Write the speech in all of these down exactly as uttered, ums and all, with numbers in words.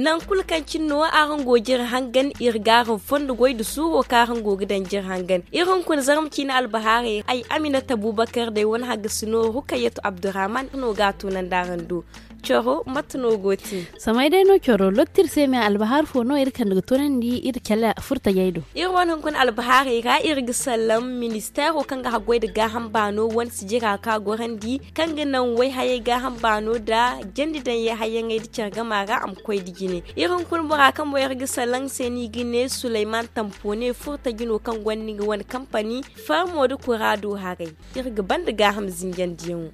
Nangu kulu kaŋ cine no araŋ go ga iri hangan, iri ga araŋ fondo goy nda suuro kaŋ araŋ go ga daŋ ga iri hangan. Iri hunkuna zarma ciine albahaarey ra, ay aminata abubakar day wane haggasi no rukayatu abdurrahman no ga a toonandi araŋ do. Coro mate no go te? Samay day no coro lotti iri se me albahaari fo no iri kande ga toonandi iri cala furtajey do. Iri wane hunkuna albahaarey ra iri ga sallam ministeero kaŋ ga haggoy nda gaaham baano wane sijira kaŋ a gorandi, kaŋ ga naŋ wayhayey gaaham baano nda jandi daŋ yay hayyaŋey nda care gama ra a ma koy nda jine. Iri hunkuna bora kaŋ mo iri ga sallam se no i ga ne sulayman tampo ne furtaji no kaŋ gonda nga wane kampani farmo nda kuraado haray. Iri ga banda gaaham zinjandiyaŋo.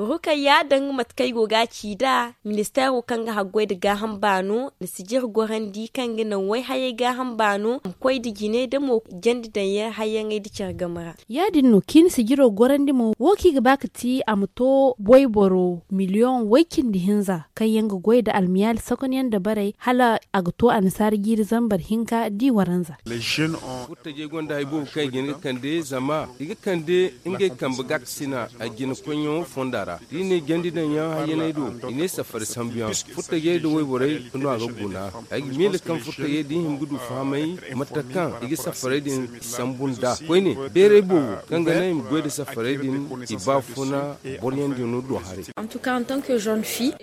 Rukayya danga mate kaŋ ay go ga a ci nd'a, ministeero kaŋ ga haggoy nda gaaham baano na sijir gorandi kaŋ ga naŋ wayhayey gaaham baano ma koy nda jine da mo jandi daŋ yay hayyaŋey nda care game ra. Ya- din no kaŋ i na sijiro gorandi mo wo kaŋ i ga ba ga ti a ma to wayboro miliyoŋ way- cindi hinza kaŋ yaŋ ga goy nda almiyaali sokonyaŋ dabarey hala a ga to annasaara jiiri zambar hinka da i waranza. Furtajey gonda hari boobo kaŋ i ga hin ga kande zama i ga kande ngey kambe gaakasina a jina koyyaŋo fonda ra da i ne jandi daŋ yaŋ hayyaney do. I ne safari sambuyaŋ furtajey nda wayborey no a ga guna. Ay ga miila kaŋ furtajey da i hima ga du fahamay mate kaŋ i ga safarey din sambu nd'a koyne. Beeray boobo kaŋ ga naŋ i ma goy nda safarey din i baafuna boroyaŋ din no do haray.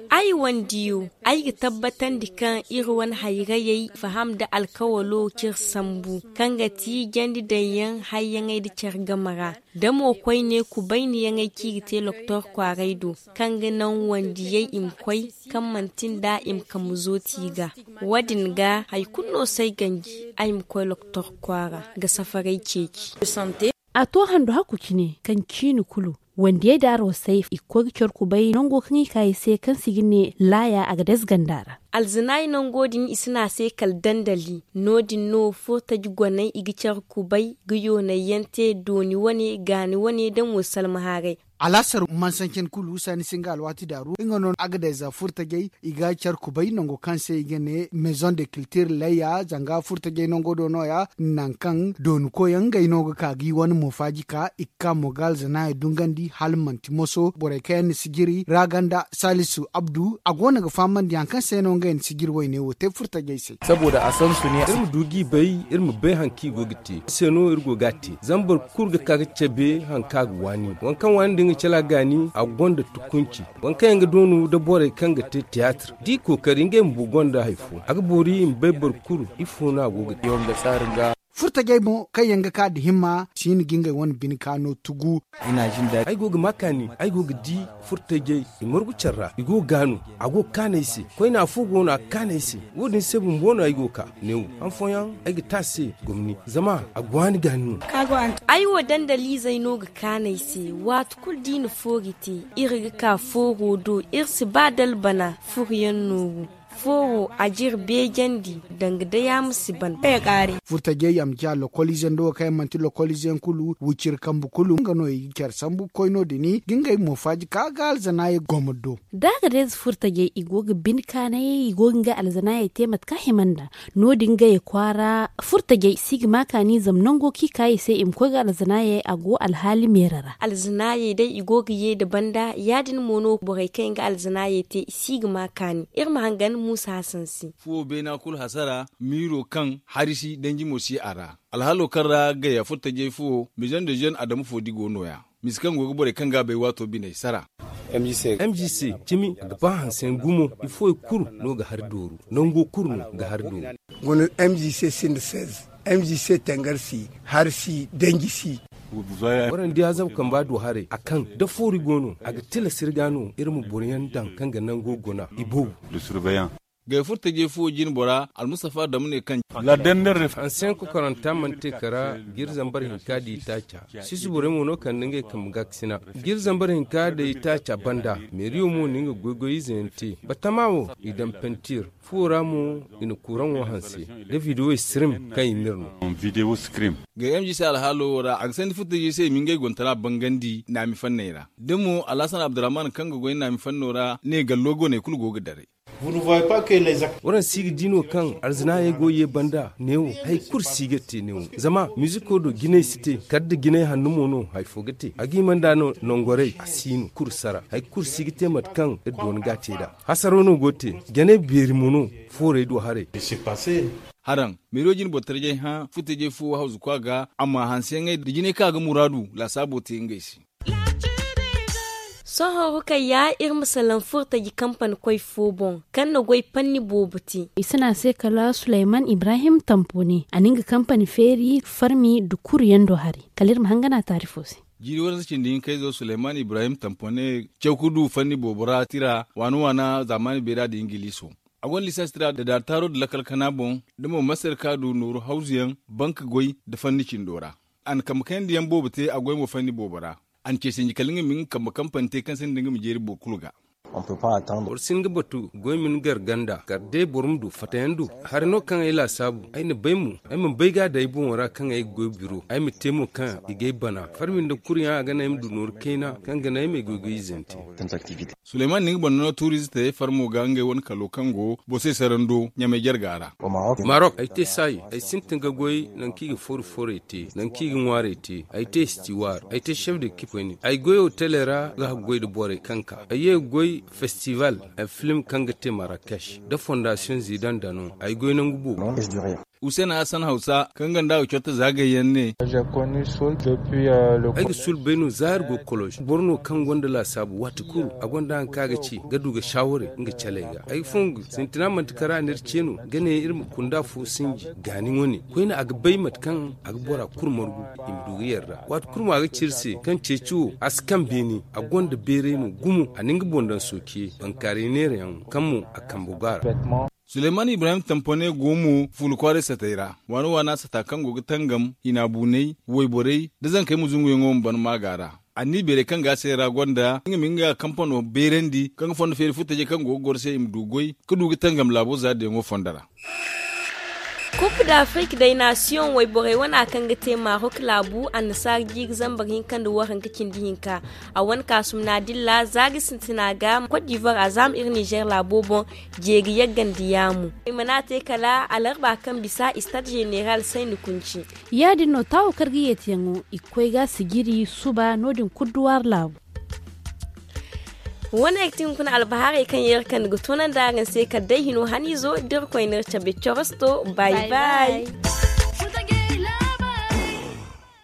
Ay wandiyo, ay ga tabbatandi kaŋ iri wane hayrayey faham nda alkawalo kaŋ iri sambu, kaŋ ga ti jandi daŋ yaŋ hayyaŋey nda care game ra, da mo koyne kubayniyaŋey kaŋ i ga te loktor kwaaray do, kaŋ ga naŋ wandiyey i ma koy, kaŋ manti nd'a i ma kambe zooti i ga. Wo- din ga hari kulu no si ay ganji ay ma koy loktor kwaara ga safarey ceeci. A to handu hakku cine kaŋ ciine kulu wandiyey da arwasey i ga koy ga care kubay nango kaŋ i ka i se kaŋ se i ga ne laaya a ga dayze ganda ra. Alzanaay nango din i si ne a se kala dandali. No- din no furtaji goney i ga care kubay ga yoonay yaŋ te dooni wane gaani wane da mo salma haaray. Alaasar mansancin kulu saani singa alwaati daaru nga no a ga dayza furtajey i ga care kubay nango kaŋ se i ga ne maison de kiltir layya zanga furtajey nango do no- ya. Nangu kaŋ dooni koyyaŋ ngey no ga ka ga i wane moofaaji ka i ga ka mo ga alzanaayey dungandi hala manti moso borey kaŋ yaŋ na sijiri ra ganda salisu abdu a go no ga fahamandi hari kaŋ se no ngey na sijiri wayne wo te furtajey se. Iri ma du ga i bay iri ma bay hari kaŋ i go ga te se no iri go ga a te zama boro kulu ga ka ga cabe hari kaŋ a ga waani waŋ kaŋ waani nda nga cala gaani a gonda tukunci. Waŋ kaŋ yaŋ ga doonu nda borey kaŋ ga te tiyaatir da i kookari ngey bumbo gonda hari fo a ga boori i ma bay boro kulu ifo no a go ga te. Furtajey mo kaŋ yaŋ ga ka nda himma si hin ga ngey wane bine kaano tugu. Ay go ga ma kaani ay go ga di furtajey i margu care ra i go ga gaanu a go ga kaanu ay se koyne afo go no a ga kaanu ay se. Wo- din se bumbo no ay go ga ka neewo han fooyaŋ ay ga te a se gomni zama a go a ni gaani no. Ay wo dandaliizey no ga kaanu ay se waati kulu da i na foori te iri ga ka fooro do iri si ba da albana furo yaŋ nooru. Fooro a jire beejandi danga day a ma si ban. Furtajey yaŋ ma ciya lokoliize nda wo kaŋ yaŋ manti lokoliize yaŋ kulu wiciri kambe kulu nga no i ga care sambu ga koy no- din ga ngey moofaaji ka ga alzanaayey gomar do. Da a ga day za furtajey i go ga bine kaanayey i go ga ngey alzanaayey te mate kaŋ a hima nd'a. No- din gayey kwaara furtajey si ga ma kaani zama nango kaŋ i ka i se i ma koy ga alzanaayey a go alhaali meera ra. Alzanaayey day i go ga ye nda banda ya- din mo no borey kaŋ yaŋ ga alzanaayey te i si ga ma kaani. Iri ma hangan muusa hasan se. Fuwo beena kulu hasara miiro kaŋ hari si danji mo si a ra. Alhaalo kaŋ ra gaya furtajey fuwo maison de jeune adamu fo di go no- ya. Misa kaŋ go ga borey kaŋ ga a bay waato biney sara. M G C cimi a ga ba hanseyaŋ gumo. Ifooyaŋ kulu no ga hari dooru nango kulu no ga hari dooru. Guna m g c sinda seize. M g c tangar si hari si danji si. Warandi azab kamba do haray a kaŋ da foori go no a ga tilas iri ga no iri ma boro yaŋ daŋ kaŋ ga nango guna i boobo. Gay furtajey fuwo jine bora almustafa adamu ne kaŋ. Hanseyaŋ kokoranta mana te kara ga iri zambar hinka da itaaca. Sisi borey mo no kande ngey kambe gaakasina ga iri zambar hinka da itaaca banda. Meeriyo mo na nga goy-goy ize yaŋ te batama wo i daŋ pentir. Fuwo ra mo i na kuraŋo hanse da videwo sirim kaŋ i m'iri no. Ga m g c alhaalo wo ra a ga sandi furtajey se i ma ngey gontara bangandi naami fanney ra da mo alhasan abdurrahman kaŋ ga goy naami fanno ra ne gallo go no i kulu go ga daray. Waraŋ si ga di no kaŋ alzinaayey go ye banda neewo hari kulu si ga te neewo. Zama miziko do jinay si te kala da jinay hanno mo no hari fo ga te a ga hima nd'a no nangorey a si no kulu sara hari kulu si ga te mate kaŋ iri doona ga a te nd'a. Hasaro no go ga te janay beeri mo no. Foorey do haray. Haraŋ meero jine boro tarjay hã furtajey fo hawzu kwa ga amma hanseyaŋey da jinay kaŋ a ga muraadu laasaabo te ngey se. Sohõ rukayya iri ma salaŋ furtaji kampani koy fo boŋ kaŋ na goy panni boobo te. I si ne a se kala sulayman ibrahim tampone a na nga kampani feeri farmi nda kuru yaŋ do haray. Kala iri ma hangan a taarifo se. Jiiri waransa cindi hinkayzo sulayman ibrahim tampone caw ga du fanni boobo ra tira waana waana zaamaani beera nda ingiliiso. A gonda lisaasi tira nda daartaaro nda lakkal kana boŋ da mo masarka du nooru hawzuyaŋ banka goy nda fanni cindo ra. A na kambe kayandiyaŋ boobo te a goy mo fanni boobo ra. A na ce sinji kala nga ma nga kambe kampani te kaŋ se nda nga ma jeeri boro kulu ga. Boro si hin ga batu goy ma ni gar ganda kala day boro ma du fattayaŋ du. Hari no kaŋ ay laasaabu ay na bay mo ay mana bay ga a daŋ ay boŋo ra kaŋ ay ga goy biro ay ma te mo kaŋ i ga ay bana farmi nda kuryaŋ a ga naŋ ay ma du nooru kayna kaŋ ga naŋ ay ma ay goy goy izante. Sulayman na nga banda no tuurize te farmo ga ngey wane kalo kaŋ go boro se sarando ɲamay jarga ra. Marok ay te saayi ay sintin ga goy nangu kaŋ i ga fooru foorey te nangu kaŋ i ga ŋwaarey te ay te stiwaar ay te chef de kipe koyne ay goy otele ra ga haggoy nda borey kaŋ ka ay ye ga goy festival. Film kaŋ ga te marrakech nda fondasiyoŋ zidan dano ay goy nangu boobo. Huseena hassan hausa kaŋ ganda a ga corta zaagay yaŋ ne. Ay ga sulbay no za iri go ga koloz boro no kaŋ gonda laasaabu waati kulu a gonda hari kaŋ a ga ci ga du ga shaawaray nga caley ga ay ga fongu sintina manti kara no iri ce no ga ne iri ma kunda fo sinji gaani wane koyne a ga bay mate kaŋ a ga bora kulu margu i ma du ga yarda waati kulu mo a ga ci iri se kaŋ ceeci wo a si kaŋ beene a gonda beeray no gumo a na nga boŋ daŋ sookiye bankaaray neerayaŋ kaŋ mo a kambe go a ra. Suleymani ibrahim tampone go mo fuula kwaaray satey ra waana waana sata kaŋ go ga tangam hina buunay wayborey nda zankey ma zunguyaŋo ma ban maaga ra. A n'i beeray kaŋ ga a se ra gonda nga ma nga kampano beerandi kaŋ ga fondo feeri furtajey kaŋ go ga goro se i ma du goy ga du ga tangam laabo zaaridiyaŋo fondo ra. Kup d'afrik day nasiyoŋ wayborey wana kaŋ ga te marok laabu annasaara jiiri zambar hinka nda waranka cindi hinka. A wane kaasum naadilla zaari sintina ga kot d'ivoire a zaama iri nizer laabo boŋ. Jeeri yaggandi yaamu i mana te kala alarba kaŋ bisa istade zeneral sayni kunci. Ya- din no taawo kaŋ ga yeetiyaŋo i ga koy ga sijiri suba no- din kulu duw'ari laabu. Wane ga ti hunkuna albahaarey kaŋ yeeri kaŋ ni ga toonandi araŋ se kala day hino haniizo da iri koy n'iri cabe corosto. Bay bay.